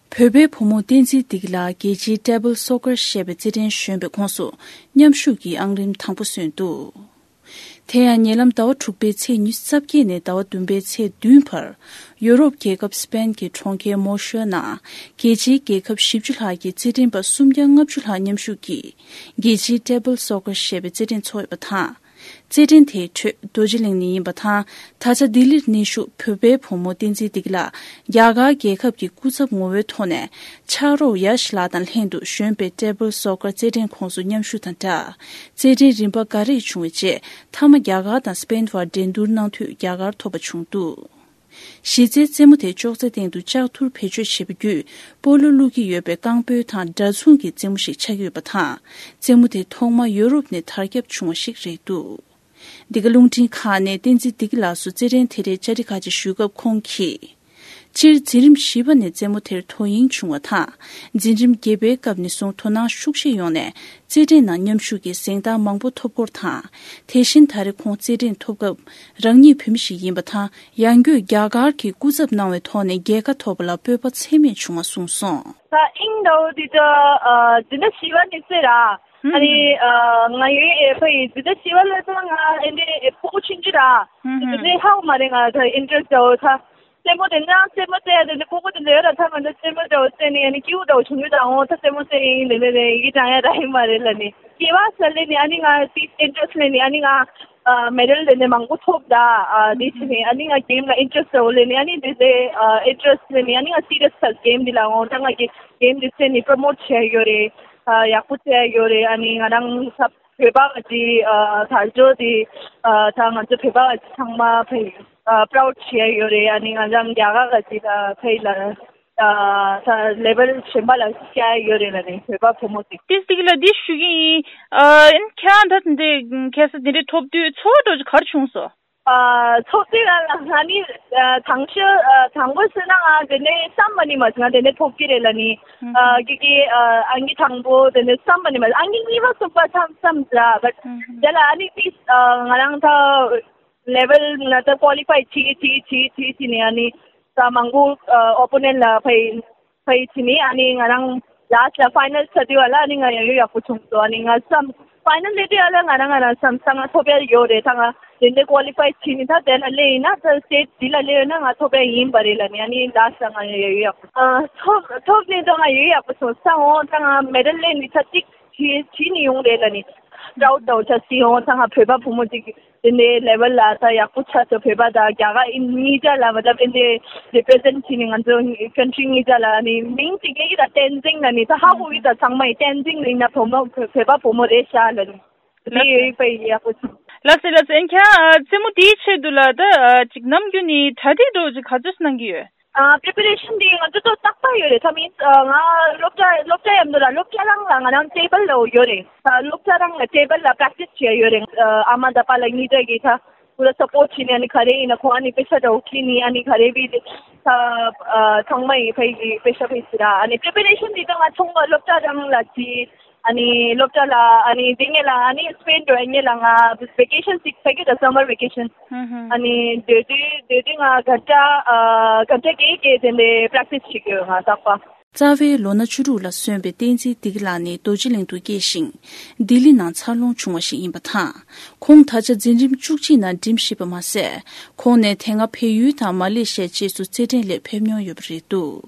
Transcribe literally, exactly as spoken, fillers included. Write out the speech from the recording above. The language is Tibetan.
བོད་པའི་བུ་མོ་བསྟན་འཛིན་བདེ་སྐྱིད་ལགས་རྒྱལ་སྤྱིའི་Table Soccer ཞེས་པའི་རྩེད་འགྲན་གཞོན་པའི་ཁོངས་སུ་མཉམ་ཞུགས་ཀྱིས་ཨང་རིམ་དང་པོ་སོན་འདུག་དེ་ཡང་ཉེ་ལམ་ཟླ་བ་དྲུག་པའི་ཚེས་ཉི་ཤུ་རྩ་བརྒྱད་ནས་ཟླ་བ་བདུན་པའི་ཚེས་བདུན་བར་ཡོ་རོབ་རྒྱལ་ཁབ་སི་པེན་གྱི་གྲོང་ཁྱེར་མོ་ཤོ་ནང་རྒྱལ་སྤྱིའི་རྒྱལ་ཁབ་བཞི་བཅུ་ལྷག་གི་རྩེད་འགྲན་པ་སུམ་བརྒྱ་ལྔ་བཅུ་ལྷག་མཉམ་ཞུགས་ཀྱིས་རྒྱལ་སྤྱིའི་Table Soccer ཞེས་པའི་རྩེད་འགྲན་འཚོགས་ཡོད་པ་དང་། རྩེད་འགྲན་དེའི་ཁྲོད་རྡོ་རྗེ་གླིང་ནས་ཡིན་པ་དང་། ད་ཆ་ལྡི་ལིར་གནས་བཞུགས་བོད་པའི་བུ་མོ་བསྟན་འཛིན་བདེ་སྐྱིད་ལགས་རྒྱ་གར་རྒྱལ་ཁབ་ཀྱི་སྐུ་ཚབ་ངོ་བོའི་ཐོག་ནས་ཕྱག་རོགས་ཡ་ཤི་ལགས་དང་ལྷན་དུ་གཞོན་པའི་Table Soccer རྩེད་འགྲན་ཁོངས་སུ་མཉམ་ཞུགས་དང་སྦྲགས། རྩེད་འགྲན་རིམ་པ་འགའ་རེ་བྱུང་བའི་རྗེས་མཐའ་མ་རྒྱ་གར་དང་སི་པེན་བར་འགྲན་བསྡུར་གནང་འཐུས་རྒྱ་གར་ཐོབ་པ་བྱུང་འདུག་གཞི་རྩའི་རྩེད་མོ་དེ་ཅོག་ཙེ་སྟེང་དུ་ལྕགས་ཐུར་བེད་སྤྱོད་བྱེད་པ་བརྒྱུད་སྤོ་ལོ་བླུག་གི་ཡོད་པའི་རྐང་སྤོལ་དང་འདྲ་མཚུངས་ཀྱི་རྩེད་མོ་ཞིག་ཆགས་ཀྱི་ཡོད་པ་དང་། རྩེད་མོ་དེ་ཐོག་མ་ཡོ་རོབ་ནས་དར་ཁྱབ་བྱུང་བ་ཞིག་རེད་འདུག་འདི་ག་རླུང་འཕྲིན་ཁག་ནས་བསྟན་འཛིན་བདེ་སྐྱིད་ལགས་སུ་རྩེད་འགྲན་དེ་རེད་བཅར་འདྲི་ཁག་ཅིག་ཞུས་སྐབས་ཁོང་གིས། སྤྱིར་འཛིན་རིམ་བཞི་པ་ནས་རྩེད་མོ་དེར་དོ་དབྱིངས་བྱུང་བ་དང་། འཛིན་རིམ་བརྒྱད་པའི་སྐབས་ནས་བཟུང་དོ་སྣང་ཤུགས་ཆེ་ཡོང་ནས་རྩེད་འགྲན་ནང་མཉམ་ཞུགས་ཀྱིས་གཟེངས་རྟགས་མང་པོ་ཐོབ་སྐོར་དང་། དེ་བཞིན་ད་རེས་ཁོང་རྩེད་འགྲན་ཐོབ་སྐབས་རང་ཉིད་བོད་མི་ཞིག་ཡིན་པ་དང་། ཡང་སྒོས་རྒྱ་གར་གྱི་སྐུ་ཚབ་གནང་བའི་ཐོག་ནས་རྒྱལ་ཁ་ཐོབ་པ་ལ་སྤོབས་པ་ཚད་མེད་བྱུང་བ་གསུངས་སོང་། ད་ཨིང་ཌའོ་དེ་ད་འཛིན་གྲྭ་བཞི་པ་ནས་རྩེད་ར། ཨ་ནི་ང་ཡོད་ཨེ་ཕ་ཡི་འཛིན་གྲྭ་བཞི་པ་ལ་ད་ང་ཨེ་འདྲའི་ཕྲུ་གུ་ཆུང་ཆུང་ར། དེ་ནས་ཧ་གོ་མ་རེད་ང་ད་ཨིན་ཊ་རེ་སི་ཊི་ཡོད་ད། རྩེད་མོ་དེ་འདྲ་རྩེད་མོ་རྩེ་ཡ་དེ་འདྲ་སྤོ་བོ་དེ་འདྲ་ཡོད་ར། ད་ང་ཚོ་རྩེད་མོ་འདྲ་བོ་རྩེ་ནས་ཨ་ནི་སྐྱིད་པོ་འདྲ་བོ་བྱུང་ཡོད་ད། འོ་ད་རྩེད་མོ་རྩེ་ཡིན་དེ་འདྲ་རེད། ཡི་གེ་བགྲང་ཡ་ར་ཡིན་མ་རེད་ལ་ནི། སྐྱེ་བ་ས་ལེ་ནི་ཨ་ནི་ང་དེ་ཨིན་ཊ་རེ་སི་ལེ་ནི་ཨ་ནི་ང་མེ་ཌལ་དེ་འདྲ་མང་པོ་ཐོབ་ད། ཨ་དེ་ཕྱིན་ནི་ཨ་ནི་ང་གེམ་ལ་ཨིན་ཊ་རེ་སི་འདྲ་བོ་ལེ་ནི་ཨ་ནི་དེ་དེ་ཨིན་ཊ་རེ་སི་ལེ་ནི་ཨ་ནི་ང་སི་རི་ཡ་སི་ཆགས་གེམ་འདི་ལ། འོ་ད་ང་གི་གེམ་འདི་རྩེ་ནི་པྲོ་མོ་ཊི་བྱས་ཡོད་རེད། ཨ་ཡག་པོ་རྩེ་ཡ་ཡོད་རེད། ཨ་ནི་ང་རང་ས་བོད་པ་ག་ཅི་དར་ལྕོག་དེ་ད་ང་ཚོ་བོད་པ་ག་ཅི་ཚང་མ་ཕེ་པ་རའུ་ཌི་བྱེད་ཡ་ཡོད་རེད། ཨ་ནི་ང་རང་རྒྱ་གར་ག་ཅི་ད་ཕེ་ལ་ད་ལེ་ཝལ་གཞན་པ་ལ་བསྐྱལ་ཡ་ཡོད་རེད་ལ་ནི་བོད་པ་བུ་མོ་ཚོ། ཏིས་ཏིག་ལ་འདི་ཞུ་གི་ཡིན། ཨ་ཁྱེད་རང་ད་འདི་ཁ་སང་འདི་འདྲའི་ཐོབ་དུས་ཚོར་བ་འདྲ་ག་རེ་བྱུང་སོང་། ཨ་ཚོགས་སྡེ་ལ་ང་ནི་ཨ་དང་ཤོས་ཨ་དང་པོ་ཟེར་ན་ང་དེ་ནས་བསམ་མ་ནི་མ་ང་དེ་ནས་ཐོབ་ཀྱི་རེད་ལ་ནི། ཨ་ཀི་ཀི་ཨ་ཨང་ཀི་དང་པོ་དེ་ནས་བསམ་མ་ནི་མ་ཨང་ཀི་གཉིས་པ་གསུམ་པ་བསམ་བསམ་ཟ་བ། དེ་ལ་ཨ་ནི་ཏིས་ཨ་ང་རང་ད་ལེ་ཝལ་ང་ད་ཀོ་ལི་ཕའི་བྱེད་བྱེད་བྱེད་བྱེད་བྱེད་ནས་ཨ་ནི་ད་མང་པོ་ཨ་ཨོ་པོ་ནེན་ལ་ཕའི་ཕའི་ཕྱིན་ནི་ཨ་ནི་ང་རང་ལ་སི་ཊི་ལ་ཕའི་ནལ་ཆགས་དུས་བ་ལ་ཨ་ནི་ང་ཡང་ཡོད་ཡག་པོ་བྱུང་སོང་། ཨ་ནི་ང་བསམ་ཕའི་ནལ་སླེབས་དུས་བ་ལ་ང་རང་ང་རང་བསམ་ས་ང་ཐོབ་ཡ་ཡོད་རེད། ད་ང་དེ་འདྲའི་ཀོ་ལི་ཕའི་བྱས་ནི་ད་དེ་ལ་སླེབས་ཡིན་ན་ད་སི་ཊེ་ཇི་འདི་ལ་སླེབས་ཡོད་ན་ང་ཐོབ་ཡ་ཡིན་པ་རེད་ལ་ནི་ཨ་ནི་ལ་སི་ཊི་ལ་ང་ཡང་ཡོད་ཡག་པོ་ཨ་ཐོབ་ཐོབ་ནི་ད་ང་ཡོད་ཡག་པོ་བྱུང་ས། འོ་ད་ང་མེ་ཌལ་སླེབས་ནི་ད་གཅིག་བྱས་བྱས་ནི་ཡོང་རེད་ལ་ནི་པྲའུ་ཌི་ད་འོ་ཆ་སི་འོ་ད་ང་བོད་པ་བུ་མོ་གཅིག་དེ་འདྲའི་ལེ་ཝལ་ལ་ད་ཡག་པོ་ཆགས་སོང་། བོད་པ་དང་རྒྱ་གར་ཨིན་གཉིས་ཆ་ལ་མ་ཏབ་དེ་འདྲའི་རི་པི་རི་ཛེན་བྱས་ནས་ང་ཚོ་ཀན་ཊི་རི་གཉིས་ཆ་ལ་ནི་མིང་གཅིག་སྐད་ཀྱི་ད་བསྟན་འཛིན་ལ་ནི་ད་ཧ་གོ་གི་ད་ཚང་མ་ཡི་བསྟན་འཛིན་ཡིན་ན་བུ་མོ་བོད་པ་བུ་མོ་རེད་ཤག་ལ་ནི་དེ་ཡོད་པ་ཡི་ཡག་པོ་ཆགས། ལགས་སེ་ལགས་སེ། ཨན་ཁྱེད་རང་རྩེད་མོ་དེའི་ཆེད་དུ་ལ་ད་ཅིག་ནམ་རྒྱུན་ནས་གྲ་སྒྲིག་འདྲ་བོ་ཅིག་ག་ཚོད་གནང་གི་ཡོད། ཨ་པི་རི་པ་རེ་ཤན་འདི་ང་ཚོ་ཏོག་ཏག་ཏག་ཡོད་རེད། ད་མིན་ང་སློབ་གྲྭ་སློབ་གྲྭ་ཡམ་དུ་ལ་སློབ་གྲྭ་རང་ལ་ང་རང་ཊེ་བལ་ལ་ཡོད་རེད། ད་སློབ་གྲྭ་རང་ལ་ཊེ་བལ་ལ་པྲེག་ཊི་སི་བྱས་ཡོད་རེད། ཨ་མ་ད་པ་ལ་གཉིས་ཀ་གིས་ད་ཁོ་ལ་སཔོར་ཊི་བྱས་ནས་ཨ་ནི་ག་རེ་ཡིན་ན་ཁོ་ཨ་ནི་པེ་ཤ་འདྲ་བོ་ཁྱེར་ནི་ཨ་ནི་ག་རེ་བི་ད་ཚང་མ་ཡི་ཕ་ཡི་པེ་ཤ་ཕ་ཡི་ཟེར་ར། ཨ་ནི་པི་རི་པ་རེ་ཤན་འདི་ད་ང་ཚོང་པ་སློབ་གྲྭ་རང་ལ་ཅི། ཨ་ནི་སློབ་གྲྭ་ལ་ཨ་ནི་དེ་ངེད་ལ་ཨ་ནི་སི་པེན་འགྲོ་ཡ་ངེད་ལ་ང་ཝེ་ཀེ་ཤན་ཅིག་ཕ་གི་ད་སམ་མར་ཝེ་ཀེ་ཤན། ཨ་ནི་དེ་དུས་དེ་དུས་ང་ག་ཏྲ་ཨ་ག་ཏྲ་གེ་གེ་དེ་འདྲའི་པྲེག་ཊི་སི་བྱེད་ཀྱི་ཡོད་ང་རྟག་པ། རྩ་བའི་ལོ་ན་བཅུ་དྲུག་ལ་སོན་པའི་བསྟན་འཛིན་བདེ་སྐྱིད་ལགས་ནི་རྡོ་རྗེ་གླིང་དུ་སྐྱེས་ཤིང་། ལྡི་ལི་ནང་འཚར་ལོངས་བྱུང་བ་ཞིག་ཡིན་པ་དང་། ཁོང་ད་ཆ་འཛིན་རིམ་བཅུ་གཅིག་ནང་འགྲིམ་བཞིན་པ་མ་ཟད། ཁོང་ནས་དེ་སྔ་བལ་ཡུལ་དང་མ་ལེ་ཤི་ཡ་བཅས་སུ་རྩེད་འགྲན་སླེབས་ཕེབས་མྱོང་ཡོད་པ་རེད་འདུག